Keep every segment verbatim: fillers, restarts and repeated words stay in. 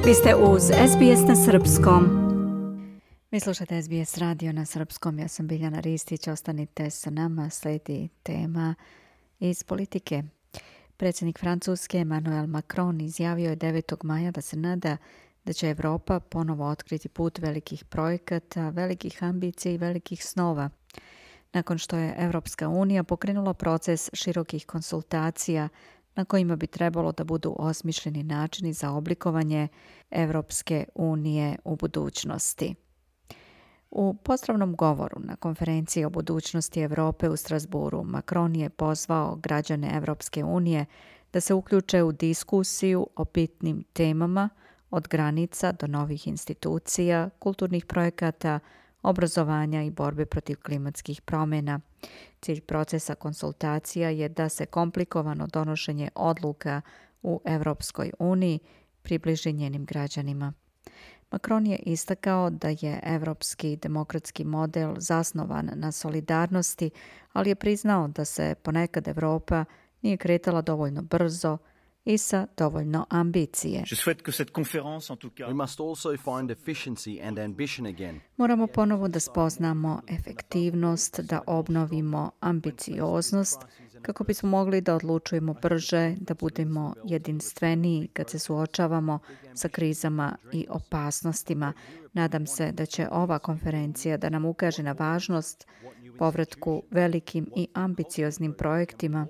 Vi ste uz S B S na srpskom. Vi slušate S B S radio na srpskom. Ja sam Biljana Ristić. Ostanite sa nama. Slijedi tema iz politike. Predsjednik Francuske Emmanuel Macron izjavio je devetog maja da se nada da će Evropa ponovo otkriti put velikih projekata, velikih ambicija i velikih snova. Nakon što je Evropska unija pokrenula proces širokih konsultacija na kojima bi trebalo da budu osmišljeni načini za oblikovanje Evropske unije u budućnosti. U pozdravnom govoru na konferenciji o budućnosti Evrope u Strasburu, Macron je pozvao građane Evropske unije da se uključe u diskusiju o bitnim temama od granica do novih institucija, kulturnih projekata, obrazovanja i borbe protiv klimatskih promjena. Cilj procesa konsultacija je da se komplikovano donošenje odluka u Evropskoj uniji približi njenim građanima. Macron je istakao da je evropski demokratski model zasnovan na solidarnosti, ali je priznao da se ponekad Evropa nije kretala dovoljno brzo i sa dovoljno ambicije. Moramo ponovo da spoznamo efektivnost, da obnovimo ambicioznost, kako bismo mogli da odlučujemo brže, da budemo jedinstveniji kad se suočavamo sa krizama i opasnostima. Nadam se da će ova konferencija da nam ukaže na važnost povratku velikim i ambicioznim projektima.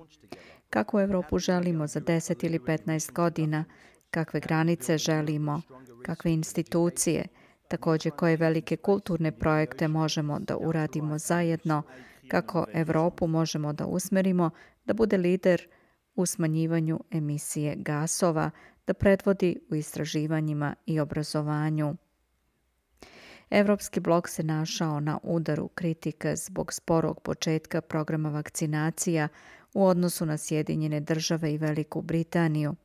Kakvu Evropu želimo za deset ili petnaest godina, kakve granice želimo, kakve institucije, također koje velike kulturne projekte možemo da uradimo zajedno, kako Evropu možemo da usmerimo da bude lider u smanjivanju emisije gasova, da predvodi u istraživanjima i obrazovanju. Evropski blok se našao na udaru kritika zbog sporog početka programa vakcinacija u odnosu na Sjedinjene države i Veliku Britaniju.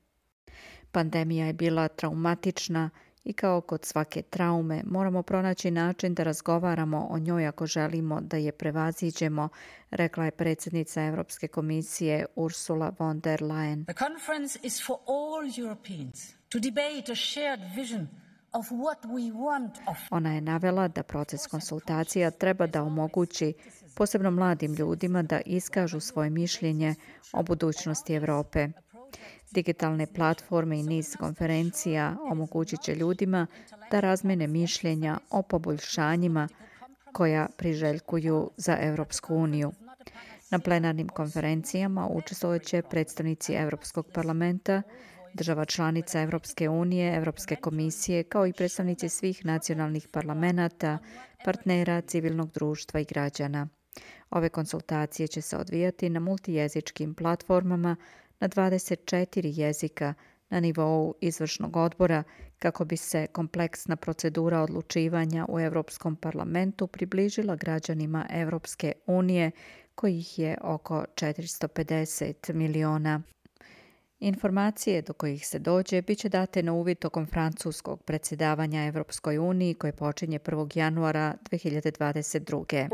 Pandemija je bila traumatična i kao kod svake traume moramo pronaći način da razgovaramo o njoj ako želimo da je prevaziđemo, rekla je predsjednica Evropske komisije Ursula von der Leyen. The conference is for all Europeans to debate a shared vision of what we want of... Ona je navela da proces konsultacija treba da omogući posebno mladim ljudima da iskažu svoje mišljenje o budućnosti Evrope. Digitalne platforme i niz konferencija omogućit će ljudima da razmene mišljenja o poboljšanjima koja priželjkuju za Evropsku uniju. Na plenarnim konferencijama učestvovat će predstavnici Evropskog parlamenta, država članica Evropske unije, Evropske komisije, kao i predstavnici svih nacionalnih parlamenata, partnera, civilnog društva i građana. Ove konsultacije će se odvijati na multijezičkim platformama na dvadeset četiri jezika na nivou izvršnog odbora kako bi se kompleksna procedura odlučivanja u Evropskom parlamentu približila građanima Evropske unije, kojih je oko četiristo pedeset miliona. Informacije do kojih se dođe bit će date na uvid tokom francuskog predsjedavanja Evropskoj uniji koje počinje prvog januara dve hiljade dvadeset druge.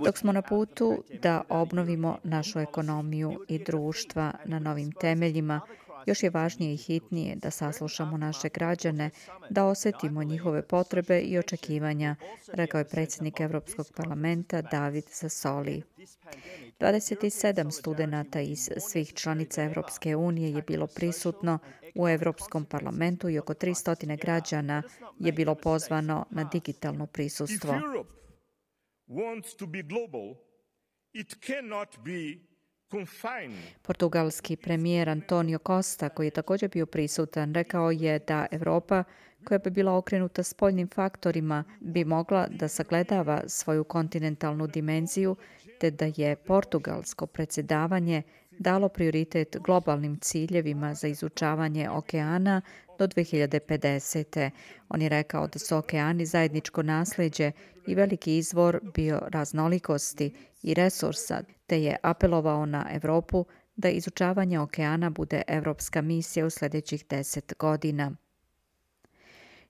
Dok smo na putu da obnovimo našu ekonomiju i društva na novim temeljima, još je važnije i hitnije da saslušamo naše građane, da osjetimo njihove potrebe i očekivanja, rekao je predsjednik Evropskog parlamenta David Sassoli. dvadeset sedam studenata iz svih članica Evropske unije je bilo prisutno u Evropskom parlamentu i oko tristo građana je bilo pozvano na digitalno prisustvo. Portugalski premijer Antonio Costa, koji je također bio prisutan, rekao je da Evropa, koja bi bila okrenuta spoljnim faktorima, bi mogla da sagledava svoju kontinentalnu dimenziju, te da je portugalsko predsjedavanje dalo prioritet globalnim ciljevima za izučavanje okeana do dve hiljade pedesete. On je rekao da su okeani zajedničko nasljeđe i veliki izvor bioraznolikosti i resursa, te je apelovao na Evropu da izučavanje okeana bude evropska misija u sljedećih deset godina.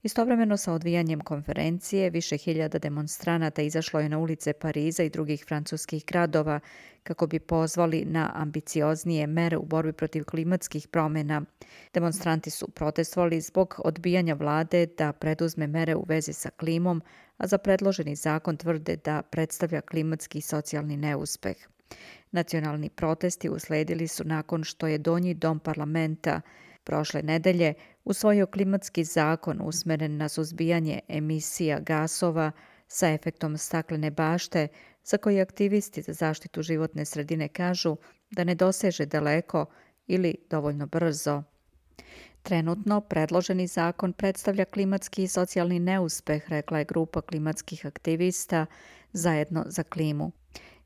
Istovremeno sa odvijanjem konferencije, više hiljada demonstranata izašlo je na ulice Pariza i drugih francuskih gradova kako bi pozvali na ambicioznije mere u borbi protiv klimatskih promjena. Demonstranti su protestovali zbog odbijanja vlade da preduzme mere u vezi sa klimom, a za predloženi zakon tvrde da predstavlja klimatski i socijalni neuspeh. Nacionalni protesti usledili su nakon što je Donji dom parlamenta prošle nedelje usvojio klimatski zakon usmeren na suzbijanje emisija gasova sa efektom staklene bašte, za koji aktivisti za zaštitu životne sredine kažu da ne doseže daleko ili dovoljno brzo. Trenutno predloženi zakon predstavlja klimatski i socijalni neuspeh, rekla je grupa klimatskih aktivista Zajedno za klimu.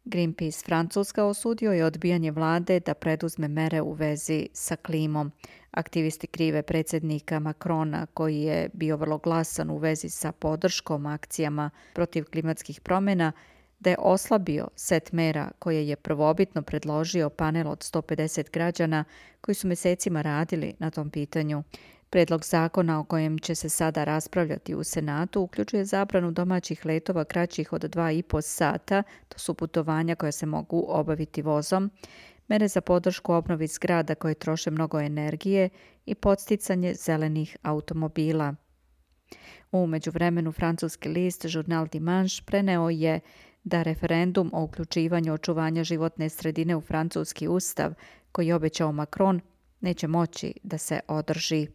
Greenpeace Francuska osudio je odbijanje vlade da preduzme mere u vezi sa klimom. Aktivisti krive predsjednika Macrona, koji je bio vrlo glasan u vezi sa podrškom akcijama protiv klimatskih promjena, da je oslabio set mera koje je prvobitno predložio panel od sto pedeset građana koji su mjesecima radili na tom pitanju. Predlog zakona o kojem će se sada raspravljati u Senatu uključuje zabranu domaćih letova kraćih od dva i po sata, to su putovanja koja se mogu obaviti vozom, mere za podršku obnovi zgrada koje troše mnogo energije i podsticanje zelenih automobila. U međuvremenu francuski list Journal Dimanche preneo je da referendum o uključivanju očuvanja životne sredine u francuski ustav, koji je obećao Macron, neće moći da se održi.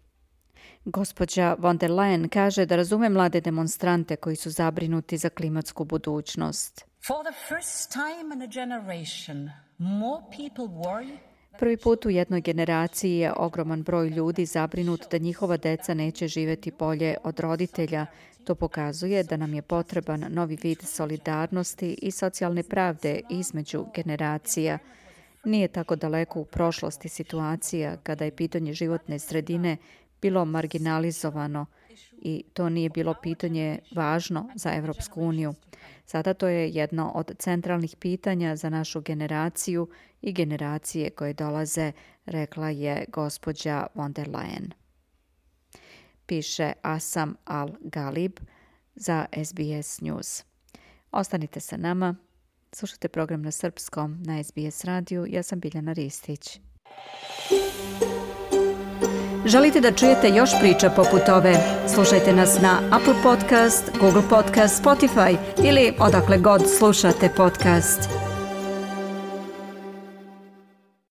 Gospođa von der Leyen kaže da razume mlade demonstrante koji su zabrinuti za klimatsku budućnost. For the first time in a generation, more people worry. Prvi put u jednoj generaciji je ogroman broj ljudi zabrinut da njihova deca neće živjeti bolje od roditelja. To pokazuje da nam je potreban novi vid solidarnosti i socijalne pravde između generacija. Nije tako daleko u prošlosti situacija kada je pitanje životne sredine bilo marginalizovano i to nije bilo pitanje važno za Europsku uniju. Sada to je jedno od centralnih pitanja za našu generaciju i generacije koje dolaze, rekla je gospođa von der Leyen. Piše Asam Al-Galib za S B S News. Ostanite sa nama, slušajte program na srpskom na S B S radiju. Ja sam Biljana Ristić. Želite da čujete još priča poput ove? Slušajte nas na Apple Podcast, Google Podcast, Spotify ili odakle god slušate podcast.